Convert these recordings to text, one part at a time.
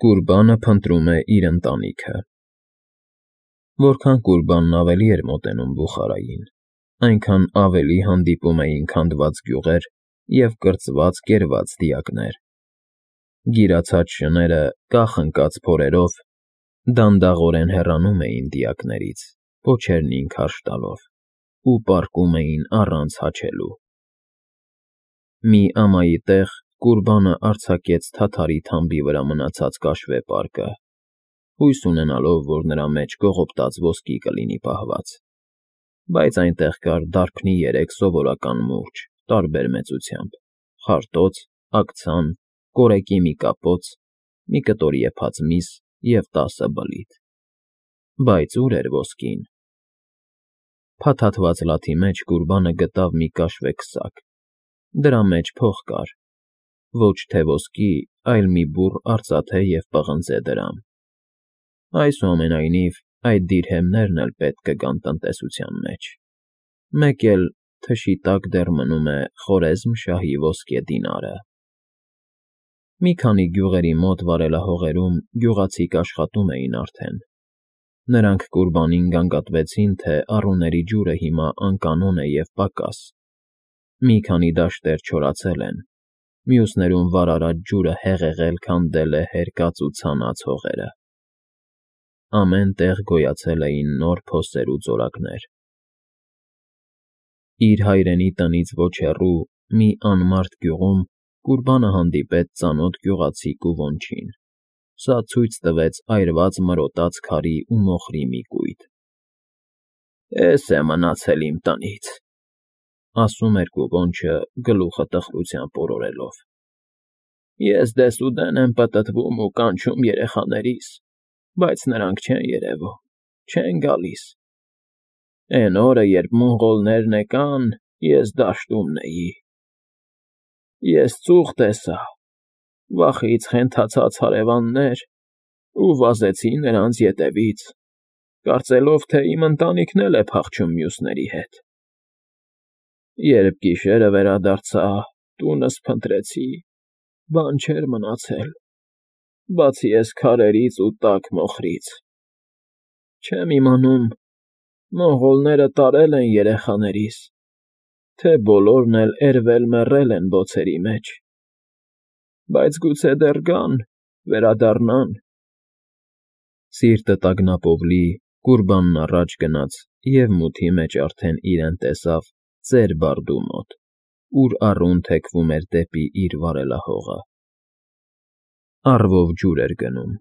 Կուրբանը փնտրում է իր ընտանիքը։ Որքան Կուրբանն ավելի էր մոտենում Բուխարային, այնքան ավելի հանդիպում էին քանդված գյուղեր և կրծված-կերված դիակներ։ Գիրացած շները, կախ ընկած փորերով, դանդաղորեն հեռանում էին դիակներից, պոչերնին քարշ տալով, ու պառկում էին առանց հաչելու։ Մի ամայի տեղ Կուրբանը արձակեց թաթարի թամբի վրա մնացած կաշվե պարկը, հույս ունենալով, որ նրա մեջ կողոպտած ոսկի կլինի պահված, բայց այնտեղ կար դարբնի 3 սովորական մուրճ տարբեր մեծությամբ, խարտոց, աքցան, կորեկի մի կապոց, մի կտոր եփած միս և 10 բլիթ։ Բայց ուր էր ոսկին։ Փաթաթված լաթի մեջ Կուրբանը գտավ մի կաշվե քսակ, դրա մեջ փող կար, ոչ թե ոսկի, այլ մի բուռ արծաթե և պղնձե դրամ։ Այսուամենայնիվ, այդ դիրհեմներն էլ պետք կգան տնտեսության մեջ, մեկ էլ թշի տակ դեռ մնում է Խորեզմ֊շահի ոսկե դինարը։ Մի քանի գյուղերի մոտ վարելահողերում գյուղացիք աշխատում էին արդեն։ Նրանք Կուրբանին գանգատվեցին, թե առուների ջուրը հիմա անկանոն է և պակաս։ Մի քանի դաշտեր չորացել են, մյուսներում վարարած ջուրը հեղեղել քանդել է հերկած ու ցանած հողերը։ Ամեն տեղ գոյացել էին նոր փոսեր ու ձորակներ։ Իր հայրենի տնից ոչ հեռու մի անմարդ գյուղում Կուրբանը հանդիպեց ծանոթ գյուղացիկ ու ոնչին։ Սա ցույց տվեց այրված մրոտած քարի ու մոխրի մի կույտ։ «Էս է մնացել իմ տնից», ասում էր կուկոնչը գլուխը տխրությամբ օրորելով։ «Ես դեսուդեն եմ պտտվում ու կանչում երեխաներիս, բայց նրանք չեն երևում, չեն գալիս։ Էն օրը, երբ մոնղոլներն եկան, ես դաշտումն էի։ Ես ծուխ տեսա, վախից խենթացած հարևաններ, ու վազեցի նրանց ետևից, կարծելով, թե իմ ընտանիքն էլ է փախչում մյուսների հետ։ Երբ գիշերը վերադարձա, տունս փնտրեցի, բան չէր մնացել, բացի էս քարերից ու տաք մոխրից։ Չեմ իմանում, մոնղոլները տարել են երեխաներիս, թե բոլորն էլ էրվել֊մեռել են բոցերի մեջ, բայց գուցե դեռ գան, վերադառնան»։ Սիրտը տագնապով լի, Կուրբանն առաջ գնաց և մութի մեջ արդեն իրեն տեսավ ծեր բարդու մոտ, ուր առուն թեքվում էր դեպի իր վարելահողը։ Առվով ջուր էր գնում։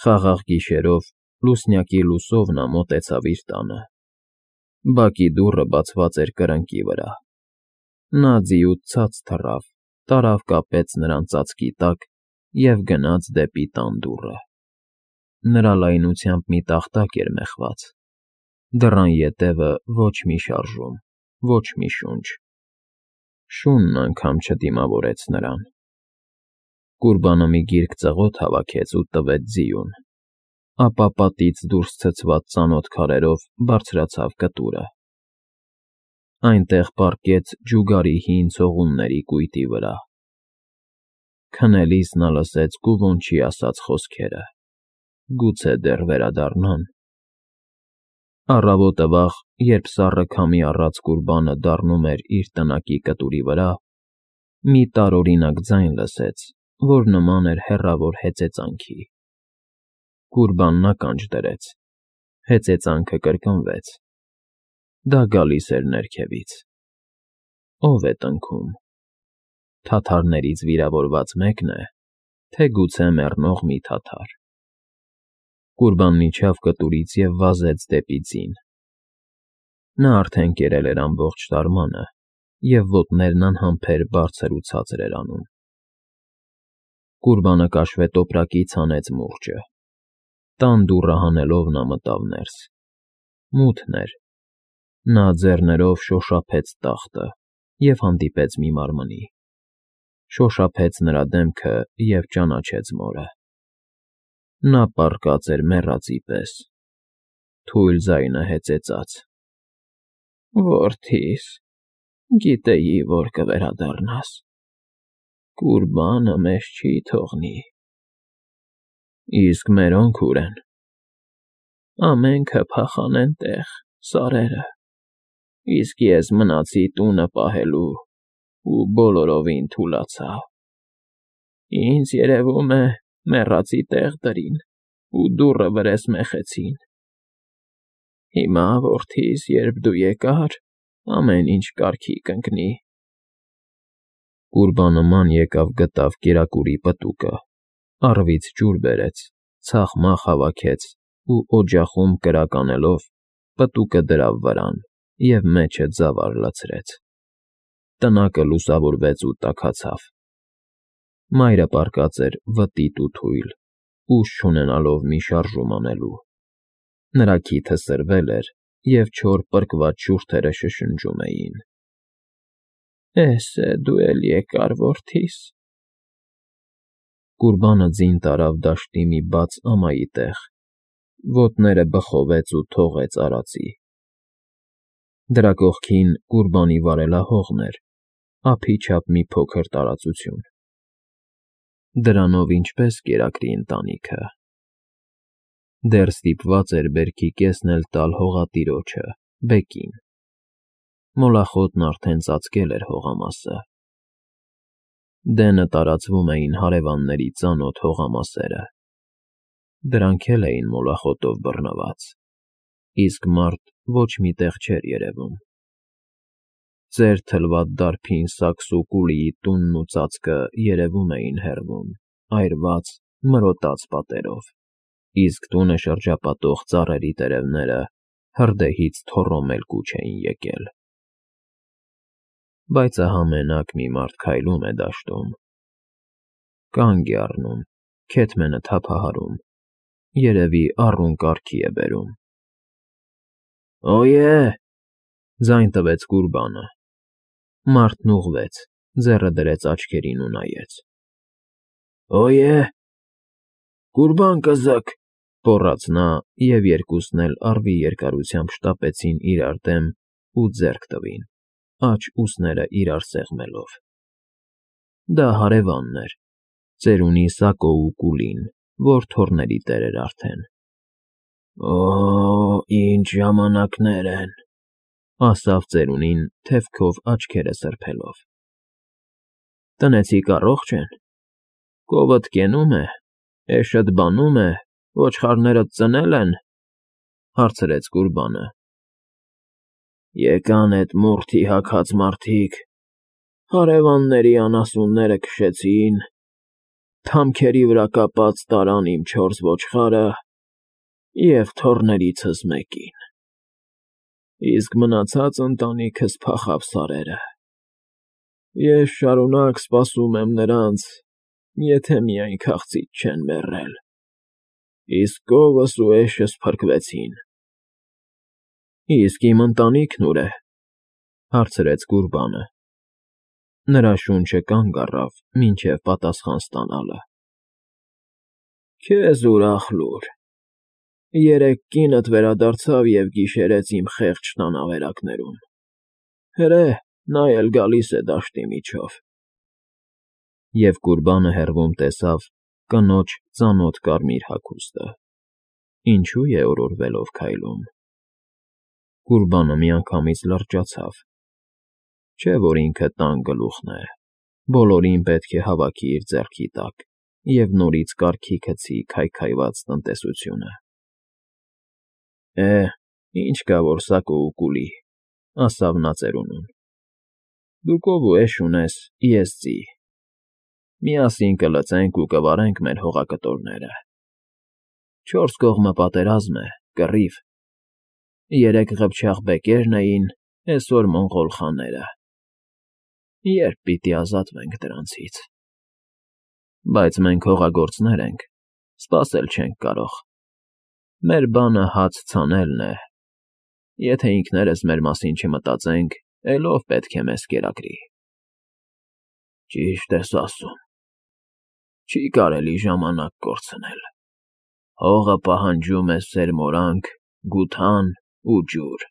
Խաղաղ գիշերով, լուսնյակի լուսով նա մոտեցավ իր տանը։ Բակի դուռը բացված էր կրկնակի վրա։ Նա ձիուց ցած թռավ, տարավ կապեց նրան ծածկի տակ և գնաց դեպի տան դուռը։ Նրա լայնությամբ մի տախտակ էր մեխված։ Դռան ետևը ոչ մի շարժում, ոչ մի շունչ։ Շունն անգամ չդիմավորեց նրան։ Կուրբանը մի գիրք ծղոտ հավաքեց ու տվեց ձիուն, ապա պատից դուրս ցցված ծանոթ քարերով բարձրացավ կտուրը։ Այնտեղ պառկեց ջուգարի հին ցողունների կույտի վրա։ Քնելիս նա լսեց կուկոնչի ասած խոսքերը. «Գուցե դեռ վերադառնան»։ Առավոտը վաղ, երբ սառը քամի առած Կուրբանը դառնում էր իր տնակի կտուրի վրա, մի տարօրինակ ձայն լսեց, որ նման էր հեռավոր հեծեծանքի։ Կուրբանն ականջ դրեց։ Հեծեծանքը կրկնվեց։ Դա գալիս էր ներքևից։ Ո՞վ է տնքում։ Թաթարներից վիրավորված մեկն է, թե գուցե մեռնող մի թաթար։ Կուրբանն իջավ կտուրից և վազեց դեպի ձին։ Նա արդեն կերել էր ամբողջ տարմանը, և ոտներն անհամբեր բարձր ու ցածր էր անում։ Կուրբանը կաշվե տոպրակից հանեց մուրճը։ Տան դուռը հանելով նա մտավ ներս։ Մութն էր։ Նա ձեռներով շոշափեց տախտը և հանդիպեց մի մարմնի։ Շոշափեց նրա դեմքը և ճանաչեց մորը։ Նա պառկած էր մեռածի պես։ Թույլ ձայնը հեծեծաց. «Որդի՛ս, գիտեի, որ կվերադառնաս։ Կուրբանը մեզ չի թողնի»։ Իսկ մերոնք ուր են։ Ամենքը փախան էնտեղ, սարերը, իսկ ես մնացի տունը պահելու ու բոլորովին թուլացա։ Ինձ երևում է մեռածի տեղ դրին ու դուռը վրես մեխեցին։ Հիմա, որդիս, երբ դու եկար, ամեն ինչ կարգի կընկնի։ Կուրբանը ման եկավ գտավ կերակուրի պտուկը, առվից ջուր բերեց, ցախմախ հավաքեց ու օջախում կրակ անելով պտուկը դրավ վրան և մեջը ձավար լցրեց։ Տնակը լուսավորվեց ու տաքացավ։ Մայրը պառկած էր վտիտ ու թույլ, ուժ չունենալով մի շարժում անելու։ Նրա քիթը սրվել էր, և չոր պրկված շուրթերը շշնջում էին։ Էս է դու էլ եկար, որդիս։ Կուրբանը ձին տարավ դաշտի մի բաց ամայի տեղ, ոտները բխովեց ու թողեց արածի։ Դրա կողքին Կուրբանի վարելահողն էր, ափի չափ մի փոքր տարածություն։ Դրանով ինչպես կերակրի ընտանիքը։ Դեռ ստիպված էր բերքի կեսն էլ տալ հողատիրոջը՝ բեկին։ Մոլախոտն արդեն ծածկել էր հողամասը։ Դենը տարածվում էին հարևանների ծանոթ հողամասերը։ Դրանք էլ էին մոլախոտով բռնված, իսկ մարդ ոչ մի տեղ չէր երևում։ Ծեր թլված դարբին Սաքսուկուլիի տունն ու ծածկը երևում էին հեռվում, այրված, մրոտած պատերով, իսկ տունը շրջապատող ծառերի տերևները հրդեհից թոռոմել կուչ էին եկել։ Բայց ահա մենակ մի մարդ քայլում է դաշտում։ Կանգ է առնում, քեթմենը թափահարում, երևի առուն կարգի է բերում։ Օյե՜, ձայն տվեց Կուրբանը։ Մարդն ուղղվեց, ձեռը դրեց աչքերին ու նայեց։ Օյե՜, Կուրբան կզակ, գոռաց նա, և երկուսն էլ առվի երկարությամբ շտապեցին իրար դեմ ու ձեռք տվին, աջ ուսները իրար սեղմելով։ Դա հարևանն էր, ծերունի Սակոուկուլին, որ թոռների տեր էր արդեն։ Օ՜, ինչ ժամանակներ են, ասավ ծերունին, թևքով աչքերը սրբելով։ Տնեցիք առողջ են։ Կովդ կենում է, էշդ բանում է, ոչխարներդ ծնել են, հարցրեց Կուրբանը։ Եկան էդ մորթի հագած մարդիկ, հարևանների անասունները քշեցին, թամքերի վրա կապած տարան իմ 4 ոչխարը և թոռներիցս մեկին, իսկ մնացած ընտանիքս փախավ սարերը։ Ես շարունակ սպասում եմ նրանց, եթե միայն քաղցից չեն մեռել, իսկ կովս ու էշս փրկվեցին։ Իսկ իմ ընտանիքն ուր է, հարցրեց Կուրբանը։ Նրա շունչը կանգ առավ, մինչև պատասխան ստանալը։ Քեզ ուրախ լուր։ Երեկ կինդ վերադարձավ և գիշերեց իմ խեղճ տան ավերակներում։ Հրե, նա էլ գալիս է դաշտի միջով։ Եվ Կուրբանը հեռվում տեսավ կնոջ ծանոթ կարմիր հագուստը։ Ինչու է օրորվելով քայլում։ Կուրբանը միանգամից լրջացավ։ Չէ՞ որ ինքը տան գլուխն է, բոլորին պետք է հավաքի իր ձեռքի տակ և նորից կարգի գցի քայքայված տնտեսությունը։ Ինչ կա որ Սակոուկուլի, ասավ նա ծերունուն։ Դու կով ու էշ ունես, ես ձի։ Միասին կլծենք ու կվարենք մեր հողակտորները։ 4 կողմը պատերազմ է, կռիվ։ Երեկ ղփչաղ բեկերն էին, էսօր մոնղոլ խաները։ Երբ պիտի ազատվենք դրանցից։ Բայց մենք հողագործներ ենք, սպասել չենք կարող։ Մեր բանը հաց ցանելն է։ Եթե ինքներս մեր մասին չմտածենք, էլ ով պետք է մեզ կերակրի։ Ճիշտ ես ասում։ Չի կարելի ժամանակ կորցնել։ Հողը պահանջում է սերմորանք, գութան ու ջուր։